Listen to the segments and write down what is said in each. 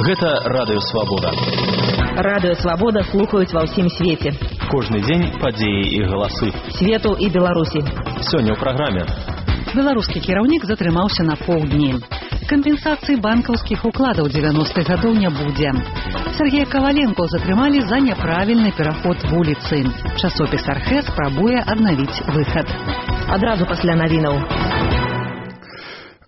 Гэта Радыё Свабода. Радыё Свабода слухаюць ва ўсім свеце. Кожны дзень падзеі і галасы. Свету і Беларусі. Сёння ў праграме. Беларускі кіраўнік затрымаўся на паўдні. Кампенсацыі банкаўскіх укладаў 90-х гадоў не будзе. Сергея Коваленко затрымалі за няправільны пераход вуліцы. Часопіс «Архэ» спрабуе аднавіць выхад. Адразу пасля навінаў.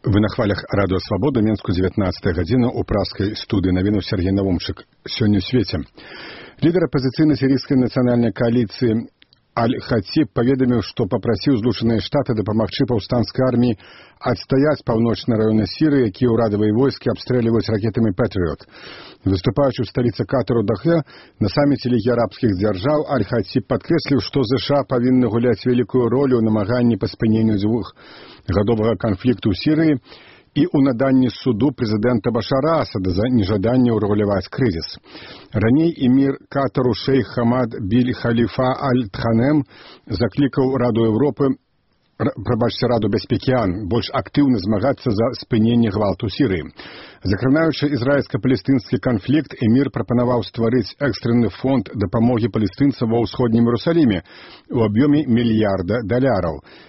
Вы на хвалях Радыё Свабода, Менску, 19 гадзіна, у праскай студыі навінаў Сергей Навумчык. Сёння ў свеце. Лідар апазіцыйнай сірійскай нацыянальнай кааліцыі Аль-Хатіб паведаміў, што папрасіў Злучаныя Штаты дапамагчы паўстанцкай арміі адстаяць паўночны раёны Сірыі, якія ўрадавыя войскі абстрэльваюць ракетамі «Пэтрыёт». Выступаючы ў сталіцы Катару Дахе на саміце Лігі арабскіх дзяржаў, Аль-Хатіб падкрэсліў, што ЗША павінны гуляць вялікую ролю ў намаганні па спыненню двухгадовага канфлікту ў Сірыі і ў наданні суду прэзідэнта Башара Асада за нежаданне ўрэгуляваць крызіс. Раней эмір Катару шэйх Хамад Биль Халіфа Аль-Тханем заклікаў Раду Раду бяспекі ООН больш актыўна змагацца за спыненне гвалту Сірыі. Закранаючы ізраільска-палестынскі канфлікт, эмір прапанаваў стварыць экстрэнны фонд дапамогі палестынцам ва ўсходнім Іерусаліме у аб'ёме $1 мільярда.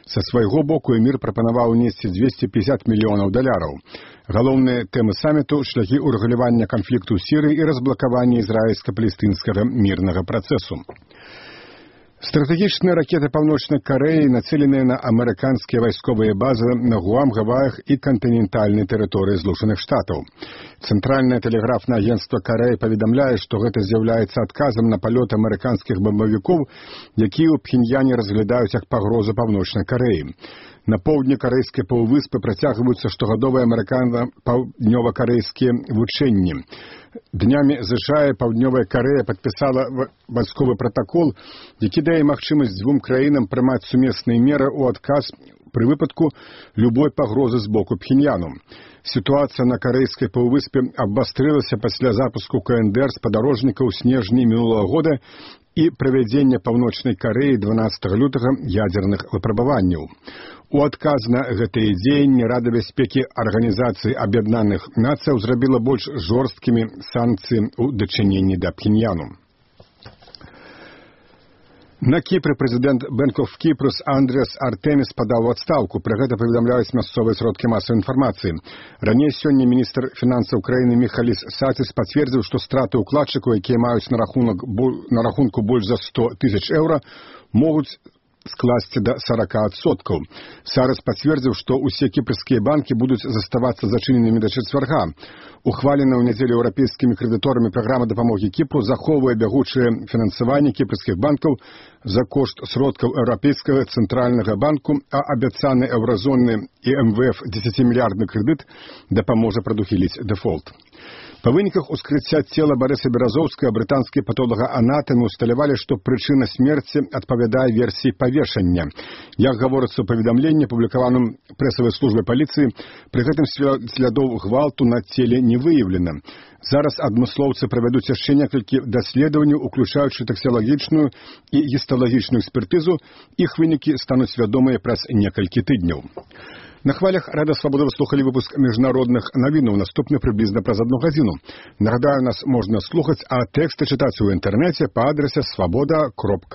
Са свайго боку эмір прапанаваў унесці $250 мільёнаў. Галоўныя тэмы саміту – шляхі ўрэгулявання канфлікту ў Сірыі і разблакавання ізраільска-палестынскага мірнага працэсу. Стратэгічныя ракеты Паўночнай Карэі нацеленыя на амерыканскія вайсковыя базы на Гуам, Гаваях і кантынентальнай тэрыторыі Злучаных Штатаў. Цэнтральнае тэлеграфнае агенцтва Карэі паведамляе, што гэта з'яўляецца адказам на палёт амерыканскіх бамбавікоў, якія ў Пхеньяне разглядаюць як пагрозу Паўночнай Карэі. На поўдні карэйскай паўвыспы працягваюцца штогадовыя амерыкана-паўднёва-карэйскія вучэнні. Днямі ЗША і Паўднёвая Карэя падпісала вайсковы пратакол, які дае магчымасць дзвюм краінам прымаць сумесныя меры ў адказ пры выпадку любой пагрозы з боку Пхеньяну. Сітуацыя на карэйскай паўвыспе абвастрылася пасля запуску КНДР спадарожніка ў снежні мінулага года і правядзення Паўночнай Карэі 12 лютага ядзерных выпрабаванняў. У адказ на гэтыя дзеянні Рада бяспекі Арганізацыі Аб'яднаных Нацыяў зрабіла больш жорсткімі санкцыі ў дачыненні да Пхеньяну. На Кіпры прэзідэнт Bank of Cyprus Андріас Артеміс падаў у адстаўку. Пра гэта паведамляюць мясцовыя сродкі масавай інфармацыі. Раней сёння міністр фінансаў краіны Міхаліс Саціс пацвердзіў, што страты ўкладчыкаў, якія маюць на рахунку больш за 100 тысяч еўра, могуць скласці да 40%. Сарас пацвердзіў, што ўсе кіпрскія банкі будуць заставацца зачыненымі да чацвярга. Ухваленая ў нядзелю еўрапейскімі крэдыторамі праграма дапамогі Кіпру захоўвае бягучае фінансаванне кіпрскіх банкаў за кошт сродкаў Еўрапейскага цэнтральнага банку, а абяцаны еўразонны і МВФ 10-мільярдны крэдыт дапаможа прадухіліць дэфолт. Па выніках ускрыцця цела Барыса Беразоўскага брытанскія патолагаанатамы усталявалі, што прычына смерці адпавядае версіі павешання. Як гаворыцца ў паведамленні, апублікаваным прэсавай службай паліцыі, пры гэтым слядоў гвалту на целе не выяўлена. Зараз адмыслоўцы правядуць яшчэ некалькі даследаванняў, уключаючы таксіялагічную і гісталагічную экспертызу. Іх вынікі стануць вядомыя праз некалькі тыдняў. На хвалях Радыё Свабода вы слухалі выпуск міжнародных навінаў, наступны прыблізна праз 1 гадзіну. Нагадаю, нас можна слухаць, а тэксты чытаць у інтэрнэце па адрасе swaboda.org.